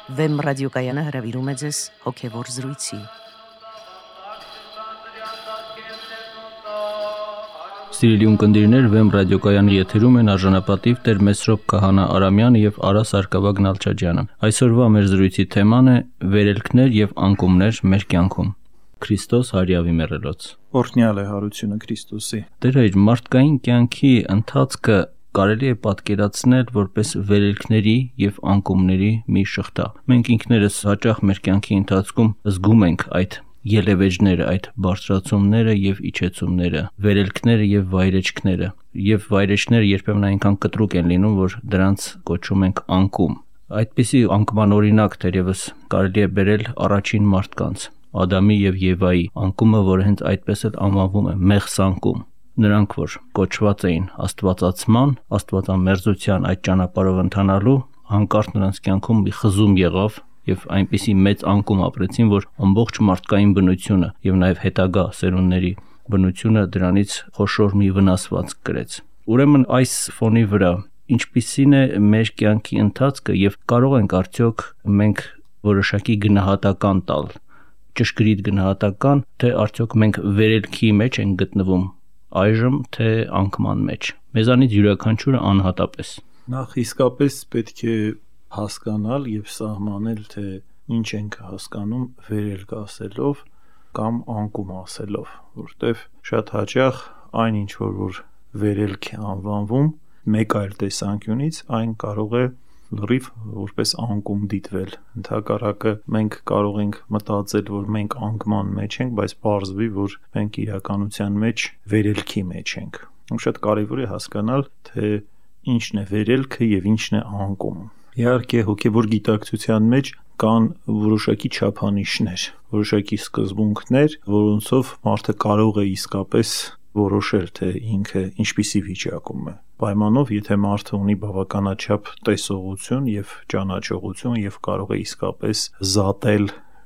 Վեմ ռադիոկայանը հրավիրում է ձեզ հոգևոր զրույցի։ Սիրելի ունկնդիրներ, Վեմ ռադիոկայանի եթերում են արժանապատիվ Տեր Մեսրոպ Քահանա Արամյանը եւ Արա Սարգսակյան Նալչաջյանը։ Այսօրվա մեր զրույցի թեման է վերելքներ եւ անկումներ մեր կյանքում։ Քրիստոս հարյավի մեռելոց։ Օրհնյալ է հարությունը Քրիստոսի։ Տեր հայր, մարդկային կյանքի ընթացքը կարելի է պատկերացնել որպես վերելքների եւ անկումների մի շղթա։ Մենք ինքներս հաճախ մեր կյանքի ընթացքում զգում ենք այդ ելևէջները, այդ բարձրացումները եւ իջեցումները, վերելքները եւ վայրեջքները։ Եվ վայրեջքները երբեմն այնքան կտրուկ են լինում, որ դրանց կոչում ենք անկում։ Այդպիսի անկման օրինակ թերևս կարելի է բերել առաջին մարդկանց, Ադամի եւ Եվայի անկումը, որը հենց այդպես էլ անվանվում է մեղսանկում։ Նրանք, որ կոչված էին աստվածացման, աստվածամերձության այդ ճանապարհով ընթանալու, հանկարծ նրանց կյանքում մի խզում եղավ եւ այնպիսի մեծ անկում ապրեցին, որ ամբողջ մարդկային բնությունը եւ նաեւ հետագա սերունդների բնությունը դրանից խոշոր մի վնասված կրեց։ Ուրեմն այս ֆոնի վրա ինչպիսին է մեր կյանքի ընթացքը եւ կարող ենք արդյոք մենք որոշակի գնահատական տալ, ճշգրիտ գնահատական, թե արդյոք մենք վերելքի մեջ ենք գտնվում այժմ, թե անկման մեջ։ Մեզանից յուրաքանչյուրը անհատապես։ Նախ իսկապես պետք է հասկանալ եւ սահմանել, թե ինչ ենք հասկանում վերելք ասելով կամ անկում ասելով, որտեվ շատ հաճախ այն ինչ որ վերելք է անվանվում, մեկ այլ տեսանկյունից այն կարող է լրիվ որպես անկում դիտվել։ Ընդհակառակը մենք կարող ենք մտածել, որ մենք անկման մեջ ենք, բայց պարզվի, որ մենք իրականության մեջ վերելքի մեջ ենք։ Շատ կարևոր է հասկանալ, թե ինչն է վերելքը եւ ինչն է անկումը։ Իհարկե, հոգեվոր գիտակցության մեջ կան որոշակի չափանիշներ, որոշակի սկզբունքներ, որոնցով մարդը կարող է իսկապես որոշել, թե ինքը ինչպիսի վիճակում է։ Պայմանով, եթե մարդը ունի բավականաչափ տեսողություն եւ ճանաչողություն եւ կարող է իսկապես զատել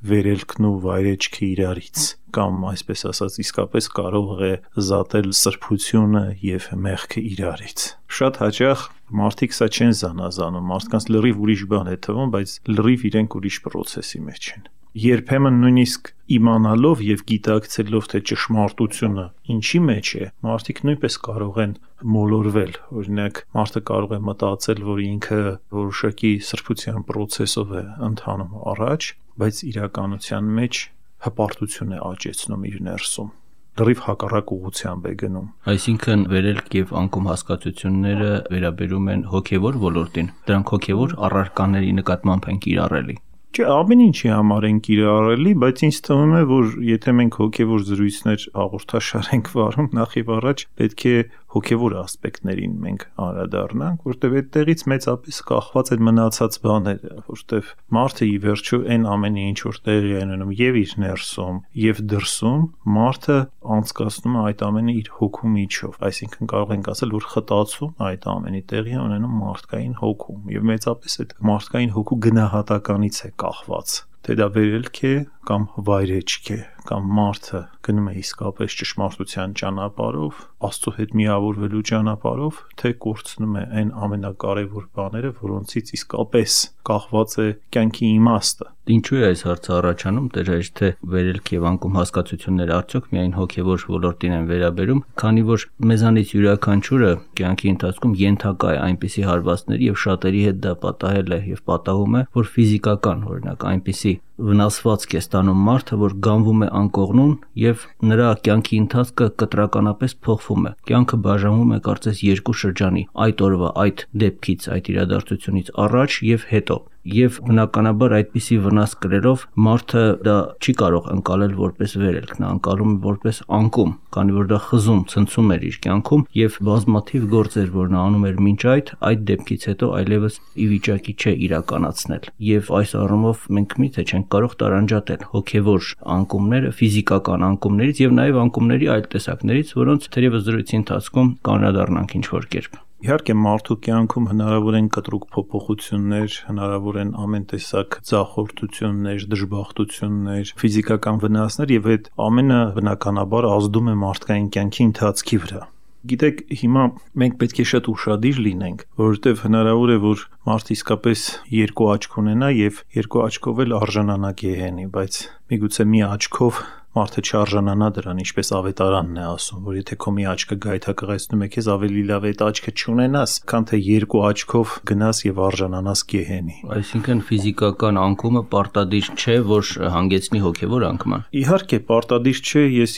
վերելքն ու վայրեջքը իրարից, կամ այսպես ասած, իսկապես կարող է զատել սրբությունը եւ մեղքը իրարից։ Շատ հաճախ մարդիկ սա չեն զանազանում, մարդկանց լրիվ ուրիշ բան է թվում, բայց լրիվ իրենք ուրիշ process-ի մեջ են։ Երբեմն նույնիսկ իմանալով եւ գիտակցելով, թե ճշմարտությունը ինչի մեջ է, մարդիկ նույնպես կարող են մոլորվել։ Օրինակ, մարդը կարող է մտածել, որ ինքը որոշակի սրբության process-ով է ընթանում առաջ, բայց իրականության մեջ հպարտություն է աճեցնում իր ներսում, լրիվ հակառակ ուղղությամբ է գնում։ Այսինքն վերելք եւ անկում հասկացությունները վերաբերում են հոգեվոր ոլորտին։ Դրանք հոգեվոր առարկաների նկատմամբ են կիրառելի։ Չէ, ամեն ինչի համար են կիրառելի, բայց ինձ թվում է, որ եթե մենք հոգեվոր զրույցներ հաղորդաշար ենք վարում, նախ եւ առաջ պետք է հոգեվոր ասպեկտներին մենք անդրադառնանք, որտեղ այդտեղից մեծապես կախված են մնացած բաները, որտեղ մարդը ի վերջո այն ամենը ինչ որ տեղի է ունենում եւ իր ներսում եւ դրսում, մարդը անցկացնում է այդ ամենը իր հոգու միջով, այսինքն կարող ենք ասել, որ խտացում այդ ամենի տեղի է ունենում մարդկային հոգում եւ մեծապես այդ մարդկային հոգու գնահատականից է կախված, թե դա վերելք է կամ վայրեջք է, կամ մարդը գնում է իսկապես ճշմարտության ճանապարհով, Աստծո հետ միավորվելու ճանապարհով, թե կորցնում է այն ամենակարևոր բաները, որոնցից իսկապես կախված է կյանքի իմաստը։ Ինչու է այս հարցը առաջանում, Տեր, թե վերելք եւ անկում հասկացությունները արդյոք միայն հոգեվոր ոլորտին են վերաբերում, քանի որ մեզանից յուրաքանչյուրը կյանքի ընթացքում ենթակա է այնպիսի հարվածների եւ շատերի հետ դա պատահել է եւ պատահում է, որ ֆիզիկական, օրինակ, այնպիսի վնասվածք է ստանում մարդը, որ գանվում է անկողնուն եւ նրա կյանքի ընթացքը կտրականապես փոխվում է։ Կյանքը բաժանվում է կարծես երկու շրջանի՝ այդ օրվա այդ դեպքից, այդ իրադարձությունից առաջ եւ հետո։ Եվ բնականաբար այդպիսի վնաս կրելով մարդը դա չի կարող ընկալել որպես վերելք, նա ընկալում է որպես անկում, քանի որ դա խզում, ցնցում էր իր կյանքում եւ բազմաթիվ գործեր, որ նա անում էր մինչ այդ դեպքից հետո այլևս ի վիճակի չէ իրականացնել։ Եվ այս առումով մենք միթե չենք կարող տարանջատել հոգեվոր անկումները ֆիզիկական անկումներից եւ նաեւ անկումների այլ տեսակներից, որոնց թերևս զրույցի ընթացքում կանրադառնանք ինչ-որ կերպ։ Իհարկե մարդու կյանքում հնարավոր են կտրուկ փոփոխություններ, հնարավոր են ամեն տեսակ ձախորդություններ, դժբախտություններ, ֆիզիկական վնասներ եւ այդ ամենը բնականաբար ազդում է մարդկային կյանքի ընթացքի վրա։ Գիտեք, հիմա մենք պետք է շատ ուշադիր լինենք, որովհետև հնարավոր է, որ մարդ իսկապես երկու աչք ունենա եւ երկու աչքով էլ արժանանա գեհենի, բայց միգուցե մի աչքով մարդը չարժանանա դրան, ինչպես ավետարանն է ասում, որ եթե քո մի աչքը գայթակղեցնում է քեզ, ավելի լավ է այդ աչքը չունենաս, քան թե երկու աչքով գնաս եւ արժանանաս գեհենի։ Այսինքն ֆիզիկական անկումը պարտադիր չէ, որ հանգեցնի հոգևոր անկման։ Իհարկե, պարտադիր չէ, ես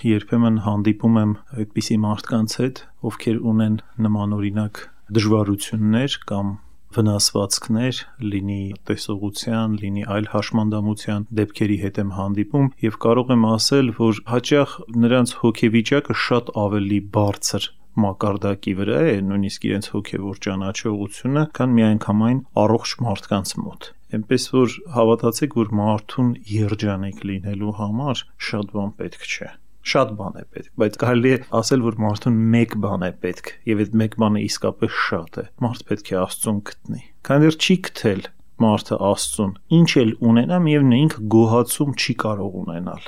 երբեմն հանդիպում եմ այդպիսի մարդկանց հետ, ովքեր ունեն նմանօրինակ դժվարություններ կամ վնասվածքներ, լինի տեսողության, լինի այլ հաշմանդամության դեպքերի հետ եմ հանդիպում եւ կարող եմ ասել, որ հաճախ նրանց հոգեվիճակը շատ ավելի բարձր մակարդակի վրա է, նույնիսկ իրենց հոգևոր ճանաչողությունը, քան միանգամայն առողջ մարդկանց մոտ։ Էնպես որ հավատացեք, որ մարդուն երջանիկ լինելու համար շատ բան պետք չէ։ Շատ բան է պետք, բայց կարելի է ասել, որ մարդուն մեկ բան է պետք, եւ այդ մեկ բանը իսկապես շատ է։ Մարդ պետք է Աստծուն գտնի։ Քանի դեռ չի գտել մարդը Աստծուն, ինչ էլ ունենա, միևնույն է ինքը գոհացում չի կարող ունենալ։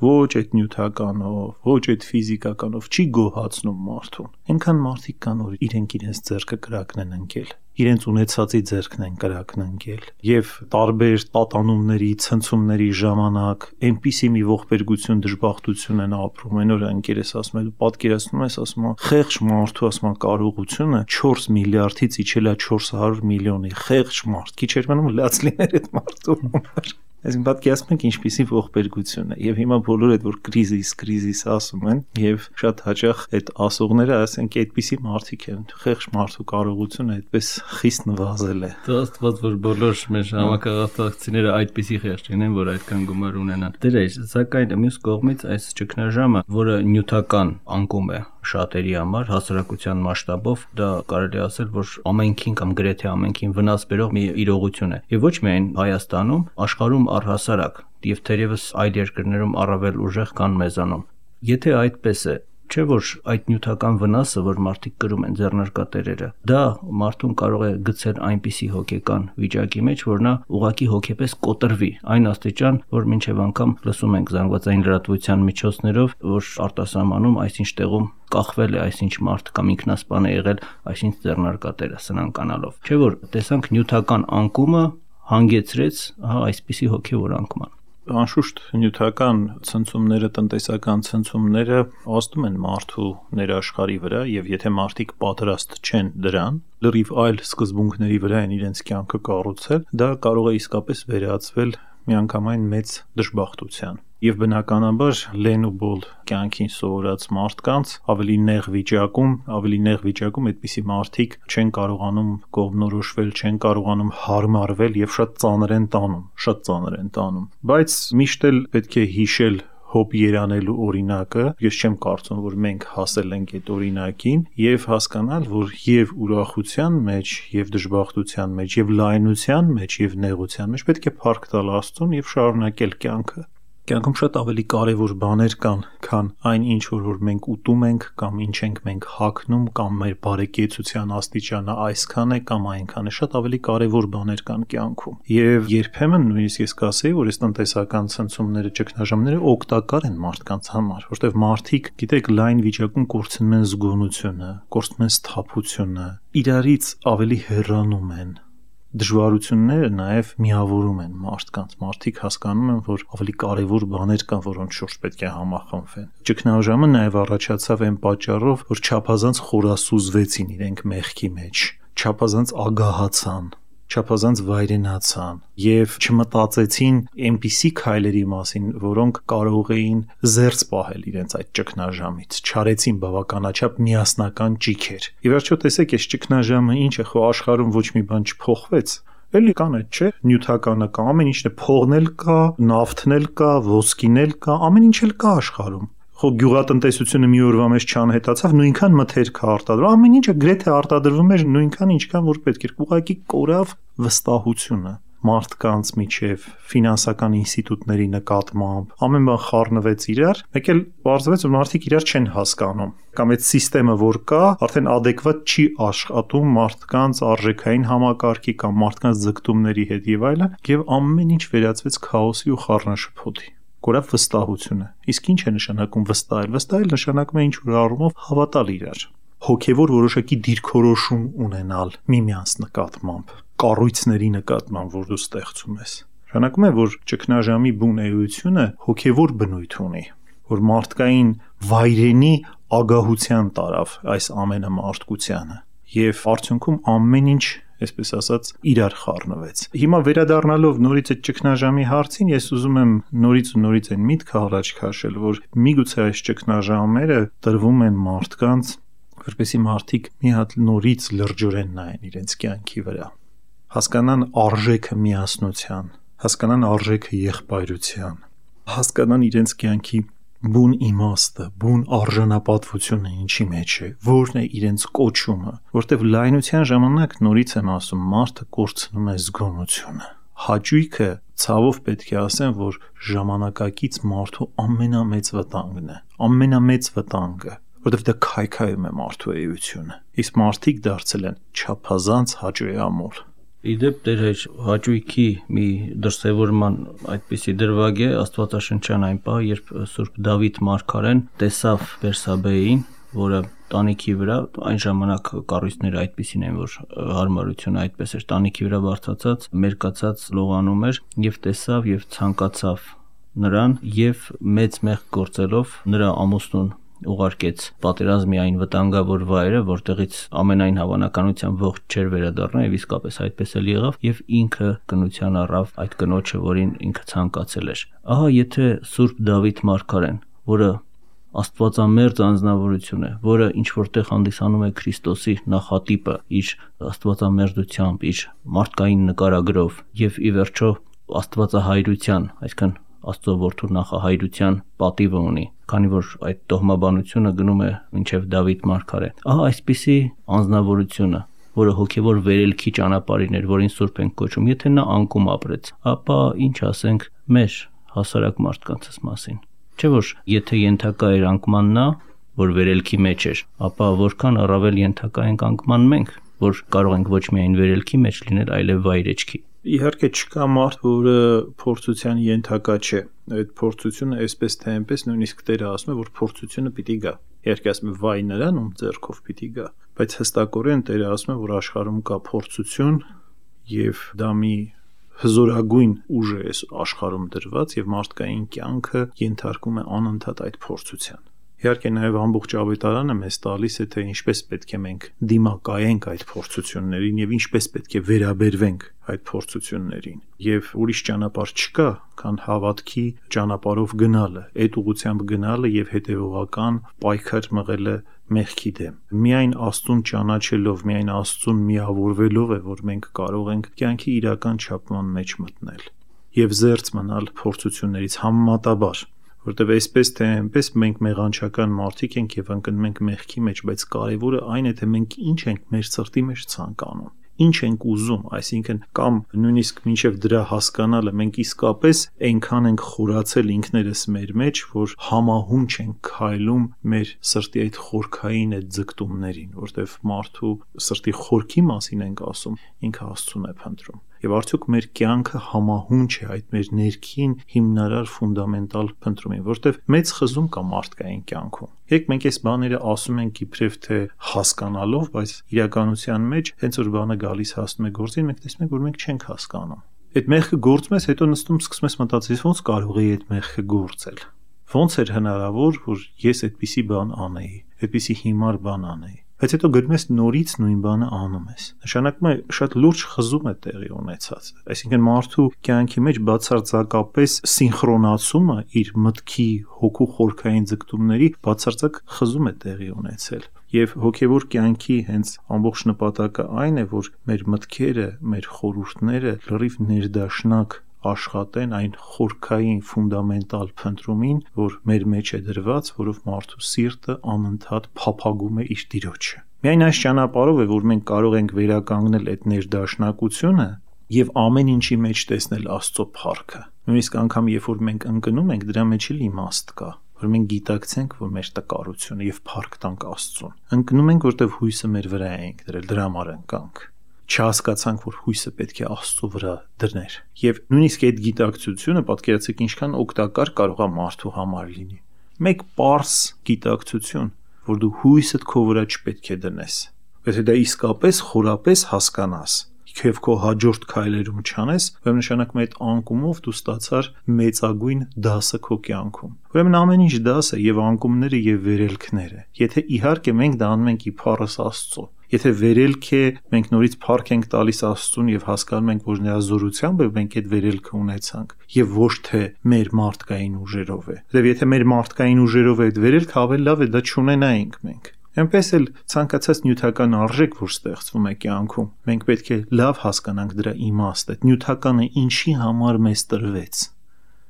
Ոչ այդ նյութականով, ոչ այդ ֆիզիկականով չի գոհացնում մարդուն։ Այնքան մարդիկ կան, որ իրենց ձեռքը կրակն են ընկել, իրենց ունեցածի ձեռքն են կրակն ընկել, եւ տարբեր տատանումների, ցնցումների ժամանակ այնպիսի մի ողբերգություն, դժբախտություն են ապրում։ Այն օրը ընկերս ասում է, դու պատկերացնում ես, ասում է, խեղճ մարդու, ասում է, կարողությունը 4 միլիարդից իջել է 400 միլիոնի, խեղճ մարդ, քիչ էր մնում լաց լիներ այդ մարդու համար։ Այսինքն պատկերացնում եք ինչպիսի ողբերգություն է, եւ հիմա բոլորը այդ որ կրիզիս ասում են, եւ շատ հաճախ այդ ասողները ասենք այդպիսի մարդիկ են, խեղճ մարդու կարողությունը այդպես խիստ նվազել է։ Աստված որ բոլոր մեր համակարգացիները այդպիսի խեղճ լինեն, որ այդքան գումար ունենան։ Դեր, սակայն մյուս կողմից այս ճգնաժամը, որը նյութական անկում է շատերի համար հասարակության մասշտաբով, դա կարելի ասել, որ ամենքին կամ գրեթե ամենքին վնաս բերող մի իրողություն է։ Եվ ոչ միայն Հայաստանում, աշխարհում առհասարակ, եւ թերևս այլ երկրներում առավել ուժեղ կան մեզանում։ Եթե այդպես է, չէ՞ որ այդ նյութական վնասը, որ մարդիկ կրում են ձեռնարկատերերը, դա մարդուն կարող է գցել այնպիսի հոգեկան վիճակի մեջ, որ նա ուղղակի հոգեպես կոտրվի այն աստիճան, որ մինչև անգամ լսում ենք զանգվածային լրատվության միջոցներով, որ արտասահմանում այսինչ տեղում կախվել է այսինչ մարդ կամ ինքնասպան է եղել այսինչ ձեռնարկատերը սնանկանալով։ Չէ՞ որ տեսանք նյութական անկումը հանգեցրեց այսպիսի հոգևոր անկման։ Անշուշտ նյութական ցնցումները, տնտեսական ցնցումները ազդում են մարդու ներաշխարհի վրա, եւ եթե մարդիկ պատրաստ չեն դրան, լրիվ այլ սկզբունքների վրա են իրենց կյանքը կառուցել, դա կարող է իսկապես վերածվել միանգամայն մեծ դժբախտության։ Եվ բնականաբար լեն ու բոլ կյանքին սովորած մարդկանց ավելի նեղ վիճակում այդպիսի մարդիկ չեն կարողանում կողմնորոշվել, չեն կարողանում հարմարվել եւ շատ ծանր են տանում։ Բայց միշտ էլ պետք է հիշել հոբ երանելու օրինակը, ես չեմ կարծում, որ մենք հասել ենք այդ օրինակին, եւ հասկանալ, որ եւ ուրախության մեջ, եւ դժբախտության մեջ, եւ լայնության մեջ, եւ նեղության մեջ պետք է փառք տալ Աստծուն եւ շարունակել կյանքը։ Կյանքում շատ ավելի կարևոր բաներ կան, քան այն ինչ որ մենք ուտում ենք կամ ինչ ենք մենք հագնում կամ մեր բարեկեցության աստիճանը այսքան է կամ այնքան է, շատ ավելի կարևոր բաներ կան կյանքում։ Եվ երբեմն նույնիսկ ես կասեի, որ այս տնտեսական ցնցումները, ճգնաժամերը օգտակար են մարդկանց համար, որտեղ մարդիկ, գիտեք, լայն վիճակում կորցնում են զգոնությունը, կորցնում են սթափությունը, իրարից ավելի հեռանում են։ Դժվարությունները նաև միավորում են մարդկանց։ Մարդիկ հասկանում են, որ ավելի կարևոր բաներ կան, որոնց շուրջ պետք է համախմբվեն։ Ճգնաժամը նաև առաջացավ այն պատճառով, որ չափազանց խորասուզվեցին իրենք մեղքի մեջ, չափազանց ագահացան, չափազանց վայրենացան եւ չմտածեցին այնպիսի քայլերի մասին, որոնք կարող էին զերծ պահել իրենց այդ ճգնաժամից, չարեցին բավականաչափ միասնական ճիգեր։ Ի վերջո տեսեք, այս ճգնաժամը ինչ է, խո աշխարհում ոչ մի բան չփոխվեց։ Էլի կան այդ, չէ՞, նյութականը կա, ամեն ինչն է, փողն էլ կա, նավթն էլ կա, ոսկին էլ կա, ամեն ինչ էլ կա աշխարհում։ Խո գյուղատնտեսությունը մի օրվա մեջ չանհետացավ, նույնքան մթերք է արտադրվում, ամեն ինչը գրեթե արտադրվում էր նույնքան ինչքան որ պետք էր, ուղղակի կորավ վստահությունը մարդկանց միջև, ֆինանսական ինստիտուտների նկատմամբ, ամեն բան խառնվեց իրար, մեկ էլ պարզվեց, որ մարդիկ իրար չեն հասկանում, կամ այդ համակարգը, որ կա, արդեն adekvat չի աշխատում մարդկանց արժեքային համակարգի կամ մարդկանց ձգտումների հետ եւ այլն, եւ ամեն ինչ վերածվեց քաոսի ու խառնաշփոթի։ կորավ վստահությունը։ Իսկ ինչ է նշանակում վստահել։ Վստահել նշանակում է ինչ-որ առումով հավատալ իրար, հոգևոր որոշակի դիրքորոշում ունենալ միմյանց նկատմամբ, կառույցների նկատմամբ, որ դու ստեղծում ես։ Նշանակում է, որ ճգնաժամի բուն էությունը հոգևոր բնույթ ունի, որ մարդկային վայրենի ագահության տարավ այս ամենը մարդկությանը, եւ արդյունքում ամեն ինչ, այսպես ասած, իրար խառնվեց։ Հիմա վերադառնալով նորից այդ ճգնաժամի հարցին, ես ուզում եմ նորից այն միտքը առաջ քաշել, որ միգուցե այս ճգնաժամերը տրվում են մարդկանց, որպեսզի մարդիկ մի հատ նորից լրջորեն նայեն իրենց կյանքի վրա, հասկանան արժեքը միասնության, հասկանան արժեքը եղբայրության, հասկանան իրենց կյանքի բուն իմաստը, բուն արժանապատվությունը ինչի մեջ է, որն է իրենց կոչումը, որտեվ լայնության ժամանակ նորից եմ ասում, մարդը կորցնում է զգոնությունը։ Հաճույքը, ցավով պետք է ասեմ, որ ժամանակակից մարդու ամենամեծ վտանգն է, ամենամեծ վտանգը, որտեվ դա քայքայում է մարդու էությունը։ Իսկ մարդիկ դարձել են չափազանց հաճոյամոլ։ Իդեպ Տեր Հայր, հաճույքի մի դրսևորման այդպիսի դրվագ է Աստվածաշնչյան այն պահ, երբ Սուրբ Դավիթ մարգարեն տեսավ Բերսաբեին, որը տանիքի վրա, այն ժամանակ կառույցները այդպիսին են, որ հարմարությունը այդպես էր, տանիքի վրա բարձրացած, մերկացած լողանում էր, եւ տեսավ եւ ցանկացավ նրան եւ մեծ մեղք գործելով նրա ամուսնուն ուղարկեց պատերազմի այն վտանգավոր վայրը, որտեղից ամենայն հավանականությամբ ողջ չէր վերադառնա եւ իսկապես այդպես էլ եղավ եւ ինքը կնության առավ այդ կնոջը, որին ինքը ցանկացել էր։ Ահա եթե Սուրբ Դավիթ մարգարեն, որը Աստվածամերձ անձնավորություն է, որը ինչ որտեղ հանդիսանում է Քրիստոսի նախատիպը իր աստվածամերձությամբ, իր մարդկային նկարագրով եւ ի վերջո աստվածահայրության, այսինքն Աստծո որդու նախահայրության պատիվը ունի, քանի որ այդ տոհմաբանությունը գնում է մինչև Դավիթ մարգարեն։ Ահա այսպիսի անձնավորությունը, որը հոգևոր վերելքի ճանապարհին էր, որին Սուրբ ենք կոչում, եթե նա անկում ապրեց, ապա ինչ ասենք մեր հասարակ մարդկանցս մասին։ Չէ՞ որ եթե ենթակա էր անկման նա, որ վերելքի մեջ էր, ապա որքան առավել ենթակա ենք անկման մենք, որ կարող ենք ոչ միայն վերելքի մեջ լինել, այլև վայրեջքի։ Իհարկե չկա մարդ, որը փորձության ենթակա չէ։ Այդ փորձությունը այսպես թե այնպես նույնիսկ Տերը ասում է, որ փորձությունը պիտի գա։ Իհարկե ասում է վայ նրան, ում ձեռքով պիտի գա, բայց հստակորեն Տերը ասում է, որ աշխարհում կա փորձություն եւ դա մի հզորագույն ուժ է այս աշխարհում դրված եւ մարդկային կյանքը ենթարկում է անընդհատ այդ փորձության։ Իհարկե նաև ամբողջ ավետարանը մեզ տալիս է, թե ինչպես պետք է մենք դիմակայենք այդ փորձություններին եւ ինչպես պետք է վերաբերվենք այդ փորձություններին։ Եվ ուրիշ ճանապարհ չկա, քան հավատքի ճանապարհով գնալը, այդ ուղղությամբ գնալը եւ հետեւողական պայքար մղելը մեղքի դեմ։ Միայն Աստծուն ճանաչելով, միայն Աստծուն միավորվելով է, որ մենք կարող ենք կյանքի իրական չափման մեջ մտնել եւ զերծ մնալ փորձություններից համեմատաբար, որտեւ այսպես թե այնպես մենք մեղանչական մարդիկ ենք եւ ընկնում ենք մեղքի մեջ, բայց կարեւորը այն է, թե մենք ինչ ենք մեր սրտի մեջ ցանկանում, ինչ ենք ուզում, այսինքն կամ նույնիսկ մինչև դրա հասկանալը մենք իսկապես այնքան ենք խորացել ինքներս մեր մեջ, որ համահունչ ենք քայլում մեր սրտի այդ խորքային այդ ձգտումներին, որտեվ մարդու սրտի խորքի մասին ենք ասում, ինքը Աստծուն է փնտրում։ Եվ արդյոք մեր կյանքը համահունչ է այդ մեր ներքին հիմնարար ֆունդամենտալ փնտրումին, որտեվ մեծ խզում կա մարդկային կյանքում։ Երբ մենք այս բաները ասում ենք իբրև թե հասկանալով, բայց իրականության մեջ հենց որ բանը գալիս հասնում է գործին, մենք տեսնում ենք, որ մենք չենք հասկանում։ Այդ մեղքը գործում ես, հետո նստում սկսում ես մտածել, ոնց կարող է այդ մեղքը գործել։ Ոնց էր հնարավոր, որ ես այդպիսի բան անեի, այդպիսի հիմար բան անեի։ Բայց հետո գնում ես նորից նույն բանը անում ես։ Նշանակում է շատ լուրջ խզում է տեղի ունեցած։ Այսինքն մարդու կյանքի մեջ բացարձակապես սինխրոնացումը իր մտքի հոգու խորքային ձգտումների բացարձակ խզում է տեղի ունեցել։ Եվ հոգևոր կյանքի հենց ամբողջ նպատակը այն է, որ մեր մտքերը, մեր խորհուրդները լրիվ ներդաշնակ աշխատեն այն խորքային ֆունդամենտալ փնտրումին, որ մեր մեջ է դրված, որով մարդու սիրտը անընդհատ փափագում է իր Տիրոջը։ Միայն այս ճանապարհով է, որ մենք կարող ենք վերականգնել այդ ներդաշնակությունը եւ ամեն ինչի մեջ տեսնել Աստծո փառքը։ Նույնիսկ անգամ երբ որ մենք ընկնում ենք, դրա մեջ էլ իմաստ կա, որ մենք գիտակցենք, որ մեր տկարությունը եւ փառք տանք Աստծուն։ Ընկնում ենք, որտեվ հույսը մեր վրա ենք դրել, դրա համար ընկանք։ չհասկացանք, որ հույսը պետք է Աստծո վրա դրներ։ Եվ նույնիսկ այդ գիտակցությունը պատկերացրեք ինչքան օգտակար կարող է մարդու համար լինի։ Մեկ պարզ գիտակցություն, որ դու հույսդ քո վրա չպետք է դնես։ Եթե դա իսկապես խորապես հասկանաս, եւ քո հաջորդ քայլերում չանես, ուրեմն նշանակում է այդ անկումով դու ստացար մեծագույն դասը քո կյանքում։ Ուրեմն ամեն ինչ դաս է եւ անկումները եւ վերելքները։ Եթե իհարկե մենք դա անում ենք իբարս Աստծո, եթե վերելք է, մենք նորից փառք ենք տալիս Աստծուն եւ հասկանում ենք, որ նրա զորությամբ մենք այդ վերելքը ունեցանք եւ ոչ թե մեր մարդկային ուժերով է։ Եվ եթե մեր մարդկային ուժերով է այդ վերելքը, ավելի լավ է դա չունենայինք մենք։ Այնպես էլ ցանկացած նյութական արժեք, որ ստեղծվում է կյանքում, մենք պետք է լավ հասկանանք դրա իմաստը, նյութականը ինչի համար մեզ տրվեց։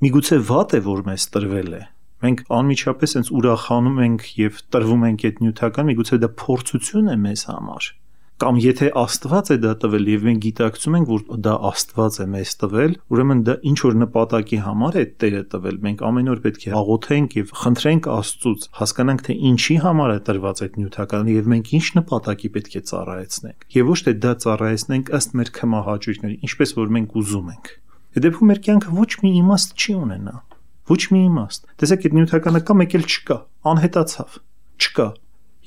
Միգուցե վատ է, որ մեզ տրվել է։ Մենք անմիջապես հենց ուրախանում ենք եւ տրվում ենք այդ նյութական, միգուցե դա փորձություն է մեզ համար։ Կամ եթե Աստված է դա տվել եւ մենք գիտակցում ենք, որ դա Աստված է մեզ տվել, ուրեմն դա ինչ որ նպատակի համար է Տերը տվել։ Մենք ամեն օր պետք է աղոթենք եւ խնդրենք Աստծուց, հասկանանք թե ինչի համար է տրված այդ նյութականը եւ մենք ինչ նպատակի պետք է ծառայեցնենք։ Եվ ոչ թե դա ծառայեցնենք ըստ մեր քմահաճույքների, ինչպես որ մենք ուզում ենք։ Այդ դեպքում մեր կյանքը ոչ մի իմաստ չի ունենա։ Ոչ մի իմաստ։ Տեսեք, այդ նյութականը կա, մեկ էլ չկա, անհետացավ, չկա։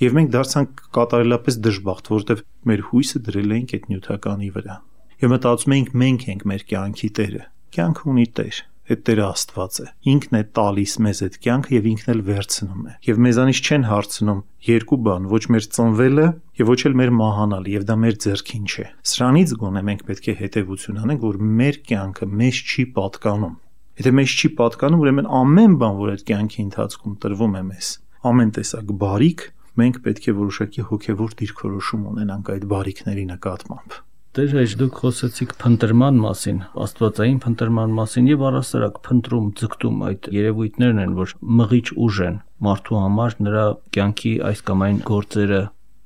Եվ մենք դարձանք կատարելապես դժբախտ, որովհետև մեր հույսը դրել էինք այդ նյութականի վրա։ Եվ մտածում էինք մենք ենք մեր կյանքի Տերը։ Կյանքը ունի Տեր, այդ Տերը Աստված է։ Ինքն է տալիս մեզ այդ կյանքը եւ ինքն էլ վերցնում է։ Եվ մեզանից չեն հարցնում երկու բան, ոչ մեր ծնվելը եւ ոչ էլ մեր մահանալը, եւ դա մեր ձեռքին չէ։ Սրանից գոնե մենք պետք է հետեւություն անենք, որ մեր կյանքը մեզ չի պատկանում։ Եթե մեզ չի պատկանում, ուրեմն ամեն բան, որ այդ կյանքի ընթացքում տրվում է մեզ, ամեն տեսակ բարիք, մենք պետք է որոշակի հոգևոր դիրքորոշում ունենանք այդ բարիքների նկատմամբ։ Դեր հեչ դուք խոսեցիք փնտրման մասին, աստվածային փնտրման մասին եւ առասարակ փնտրում, ձգտում այդ երևույթներն են, որ մղիչ ուժ են մարդու համար նրա կյանքի այս կամ այն գործերը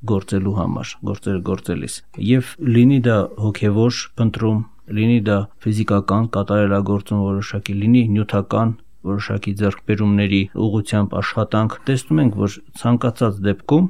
գործելու համար, գործերը գործելիս։ Եվ լինի դա հոգևոր փնտրում, լինի դա ֆիզիկական կատարելագործում որոշակի, լինի նյութական որոշակի ձեռքբերումների ուղղությամբ աշխատանք, տեսնում ենք, որ ցանկացած դեպքում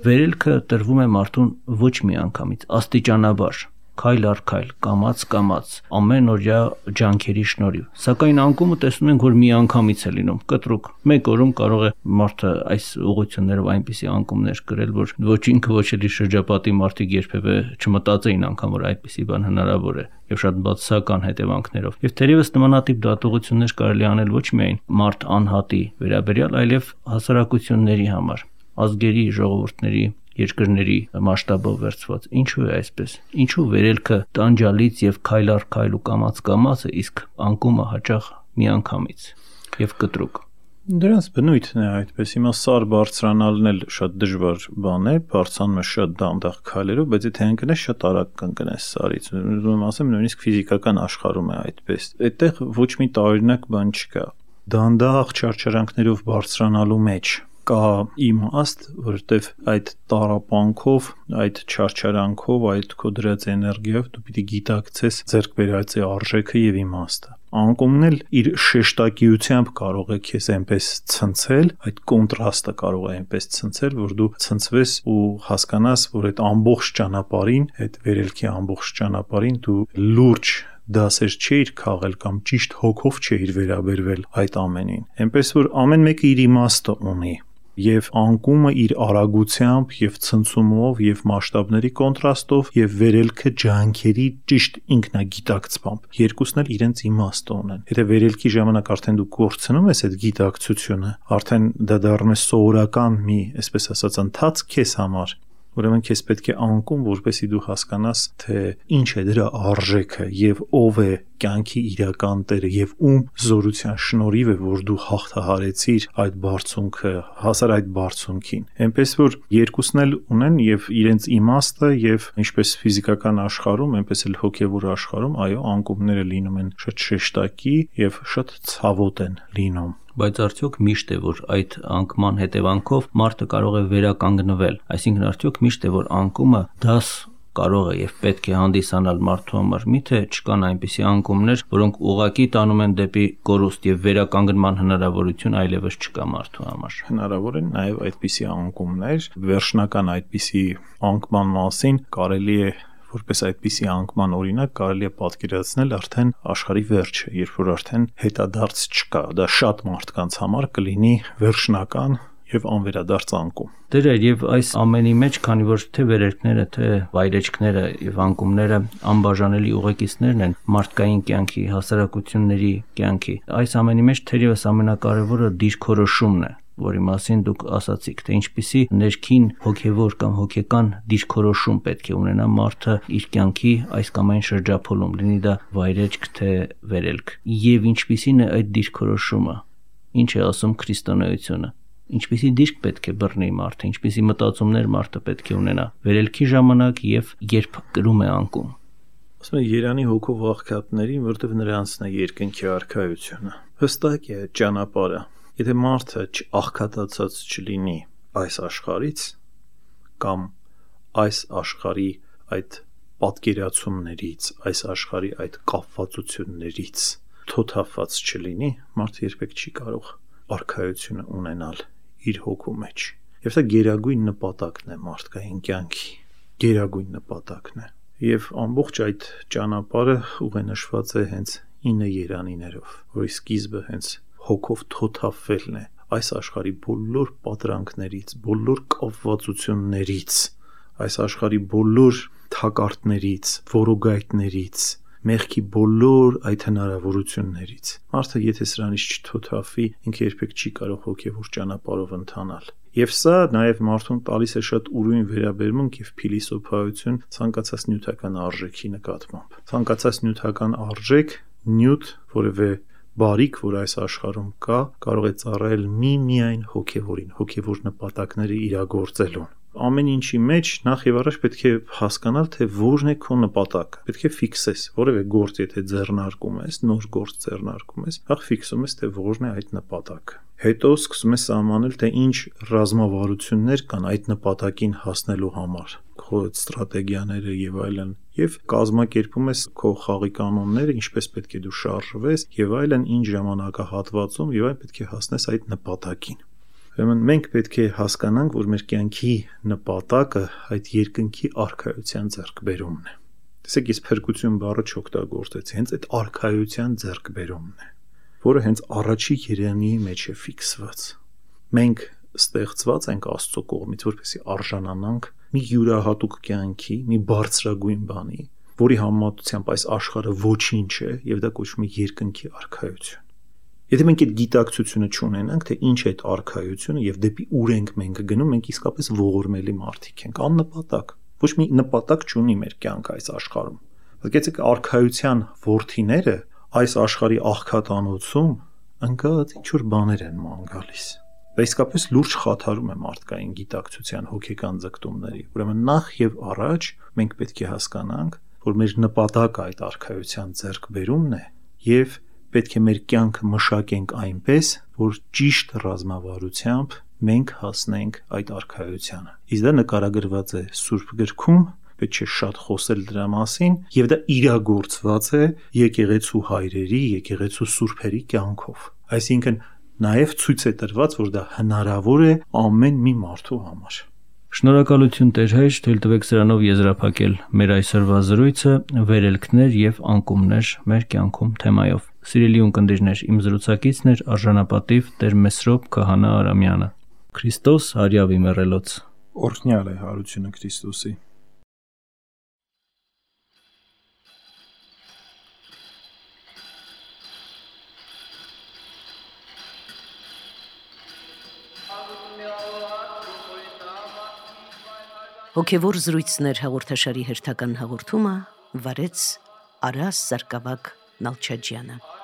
վերելքը տրվում է մարդուն ոչ մի անգամից, աստիճանաբար, քայլ առ քայլ, կամաց, ամենօրյա ջանքերի շնորհիվ։ Սակայն անկումը տեսնում ենք, որ մի անգամից է լինում, կտրուկ։ Մեկ օրում կարող է մարդը այս ուղղություններով այնպիսի անկումներ կրել, որ ոչ ինքը, ոչ էլ իր շրջապատի մարդիկ երբևէ չմտածեին անգամ, որ այդպիսի բան հնարավոր է եւ շատ բացասական հետևանքներով։ Եվ թերևս նմանատիպ դատողություններ կարելի անել ոչ միայն մարդ անհատի վերաբերյալ, այլև հասարակությունների համար, ազգերի, ժողովուրդների, երկրների մասշտաբով վերցված։ Ինչու է այսպես։ Ինչու վերելքը տանջալից եւ քայլ առ քայլ ու կամաց է, իսկ անկումը հաճախ միանգամից եւ կտրուկ։ Դրանց բնույթն է այդպես։ Հիմա սար բարձրանալն էլ շատ դժվար բան է, բարձրանում է շատ դանդաղ քայլերով, բայց եթե ընկնես շատ արագ կընկնես սարից։ Ուզում ասեմ, նույնիսկ ֆիզիկական աշխարհում է այդպես։ Այդտեղ ոչ մի տարօրինակ բան չկա։ Դանդաղ չարչարանքներով բարձրանալու մեջ կա իմաստ, որովհետև այդ տառապանքով, այդ չարչարանքով, այդ քո դրած էներգիայով դու պիտի գիտակցես ձեռք բերած է արժեքը եւ իմաստը։ Անկումն էլ իր շեշտակիությամբ կարող է քեզ այնպես ցնցել, այդ կոնտրաստը կարող է այնպես ցնցել, որ դու ցնցվես ու հասկանաս, որ այդ ամբողջ ճանապարհին, այդ վերելքի ամբողջ ճանապարհին դու լուրջ դասեր չէիր քաղել կամ ճիշտ հոգով չէիր վերաբերվել այդ ամենին։ Այնպես որ ամեն մեկը իր իմաստը ունի եւ անկումը իր արագությամբ եւ ցնցումով եւ մասշտաբների կոնտրաստով եւ վերելքը ջանքերի ճիշտ ինքնագիտակցությամբ երկուսն էլ իրենց իմաստը ունեն։ Եթե վերելքի ժամանակ արդեն դու կորցնում ես այդ գիտակցությունը, արդեն դա դառնում է սովորական մի, այսպես ասած, ընթացք քեզ համար, ուրեմն քեզ պետք է անկում, որպեսզի դու հասկանաս, թե ինչ է դրա արժեքը եւ ով է կյանքի իրական Տերը եւ ում զորության շնորհիվ է, որ դու հաղթահարեցիր այդ բարձունքը, հասար այդ բարձունքին։ Այնպես որ երկուսն էլ ունեն եւ իրենց իմաստը եւ ինչպես ֆիզիկական աշխարհում, այնպես էլ հոգեվոր աշխարհում, այո, անկումները լինում են շատ շեշտակի եւ շատ ցավոտ են լինում։ Բայց արդյոք միշտ է, որ այդ անկման հետևանքով մարդը կարող է վերականգնվել, այսինքն արդյոք միշտ է, որ անկումը դաս կարող է եւ պետք է հանդիսանալ մարդու համար, միթե չկան այնպիսի անկումներ, որոնք ուղղակի տանում են դեպի կորուստ եւ վերականգնման հնարավորություն այլևս չկա մարդու համար։ Հնարավոր են նաեւ այդպիսի անկումներ, վերջնական այդպիսի անկման մասին կարելի է որպես այդպիսի անկման օրինակ կարելի է պատկերացնել արդեն աշխարհի վերջը, երբ որ արդեն հետադարձ չկա, դա շատ մարդկանց համար կլինի վերջնական եւ անվերադարձ անկում։ Դեր եւ այս ամենի մեջ, քանի որ թե վերելքները, թե վայրեջքները եւ անկումները անբաժանելի ուղեկիցներն են մարդկային կյանքի, հասարակությունների կյանքի, այս ամենի մեջ թերևս ամենակարևորը դիրքորոշումն է, որի մասին դուք ասացիք, թե ինչպիսի ներքին հոգևոր կամ հոգեկան դիրքորոշում պետք է ունենա մարդը իր կյանքի այս կամ այն շրջափոլում, լինի դա վայրեջք թե վերելք, եւ ինչպիսին է այդ դիրքորոշումը, ինչ է ասում քրիստոնեությունը, ինչպիսի դիրք պետք է բռնի մարդը, ինչպիսի մտածումներ մարդը պետք է ունենա վերելքի ժամանակ եւ երբ կրում է անկում։ Ասում են Երանի հոգով աղքատներին, որտեղ նրանցն է երկնքի արքայությունը։ Հստակ է ճանապարհը։ Եթե մարդը աղքատացած չլինի այս աշխարհից կամ այս աշխարհի այդ պատկերացումներից, այս աշխարհի այդ կապվածություններից թոթափված չլինի, մարդը երբեք չի կարող արքայությունը ունենալ իր հոգու մեջ։ Եվ դա գերագույն նպատակն է մարդկային կյանքի, գերագույն նպատակն է։ Եվ ամբողջ այդ ճանապարհը ուղենշված է հենց 9 երանիներով, որի սկիզբը հենց հոգով թոթափվելն է այս աշխարհի բոլոր պատրանքներից, բոլոր կապվածություններից, այս աշխարհի բոլոր թակարդներից, որոգայթներից, մեղքի բոլոր այդ հնարավորություններից։ Մարդը եթե սրանից չթոթափվի, ինքը երբեք չի կարող հոգևոր ճանապարհով ընթանալ։ Եվ սա նաև մարդուն տալիս է շատ ուրույն վերաբերմունք եւ փիլիսոփայություն ցանկացած նյութական արժեքի նկատմամբ։ Ցանկացած նյութական արժեք, նյութ, որևէ բարիք, որ այս աշխարհում կա, կարող է ծառայել միայն հոգևորին, հոգևոր նպատակները իրագործելուն։ Ամեն ինչի մեջ նախ եւ առաջ պետք է հասկանալ, թե որն է քո նպատակը։ Պետք է ֆիքսես, որևէ գործ եթե ձեռնարկում ես, նոր գործ ձեռնարկում ես, նախ ֆիքսում ես, թե որն է այդ նպատակը։ Հետո սկսում ես սահմանել, թե ինչ ռազմավարություններ կան այդ նպատակին հասնելու համար, քո ստրատեգիաները եւ այլն, եւ կազմակերպում ես քո խաղի կանոնները, ինչպես պետք է դու շարժվես եւ այլն, ինչ ժամանակահատվածում եւ այն պետք է հասնես այդ նպատակին։ Ուրեմն մենք պետք է հասկանանք, որ մեր կյանքի նպատակը այդ երկնքի արքայության ձեռքբերումն է։ Տեսեք, ես փրկություն բառը չօգտագործեցի, հենց այդ արքայության ձեռքբերումն է, որը հենց առաջի երանի մեջ է ֆիքսված։ Մենք ստեղծված ենք Աստծո կողմից, որպեսզի արժանանանք մի յուրահատուկ կյանքի, մի բարձրագույն բանի, որի համեմատությամբ այս աշխարհը ոչինչ է, եւ դա կոչվում է երկնքի արքայություն։ Եթե մենք այդ գիտակցությունը չունենանք, թե ինչ է այդ արքայությունը եւ դեպի ուր ենք մենք գնում, մենք իսկապես ողորմելի մարդիկ ենք, աննպատակ։ Ոչ մի նպատակ չունի մեր կյանքը այս աշխարհում։ Եկեցեք արքայության ворթիները այս աշխարհի աղքատանոցում ընկած ինչ-որ բաներ են ման գալիս։ Դա իսկապես լուրջ խաթարում է մարդկային գիտակցության հոգեկան ձգտումների։ Ուրեմն նախ եւ առաջ մենք պետք է հասկանանք, որ մեր նպատակը այդ արքայության ձեռքբերումն է եւ պետք է մեր կյանքը մշակենք այնպես, որ ճիշտ ռազմավարությամբ մենք հասնենք այդ արքայությանը։ Իսկ դա նկարագրված է Սուրբ գրքում, պետք չէ շատ խոսել դրա մասին, եւ դա իրագործված է եկեղեցու հայրերի, եկեղեցու սուրբերի կյանքով։ Այսինքն նաև ցույց է տրված, որ դա հնարավոր է ամեն մի մարդու համար։ Շնորհակալություն Տեր հայր, թույլ տվեք սրանով եզրափակել մեր այսօրվա զրույցը վերելքներ եւ անկումներ մեր կյանքում թեմայով։ Սիրելի ունկնդիրներ, իմ զրուցակիցն էր արժանապատիվ Տեր Մեսրոպ Քահանա Արամյանը։ Քրիստոս հարյավի մեռելոց։ Օրհնյալ է հարությունը Քրիստոսի։ Հոգևոր զրույցներ հաղորդաշարի հերթական հաղորդումը վարեց Արաս Սարգսակ Նալչաջյանը։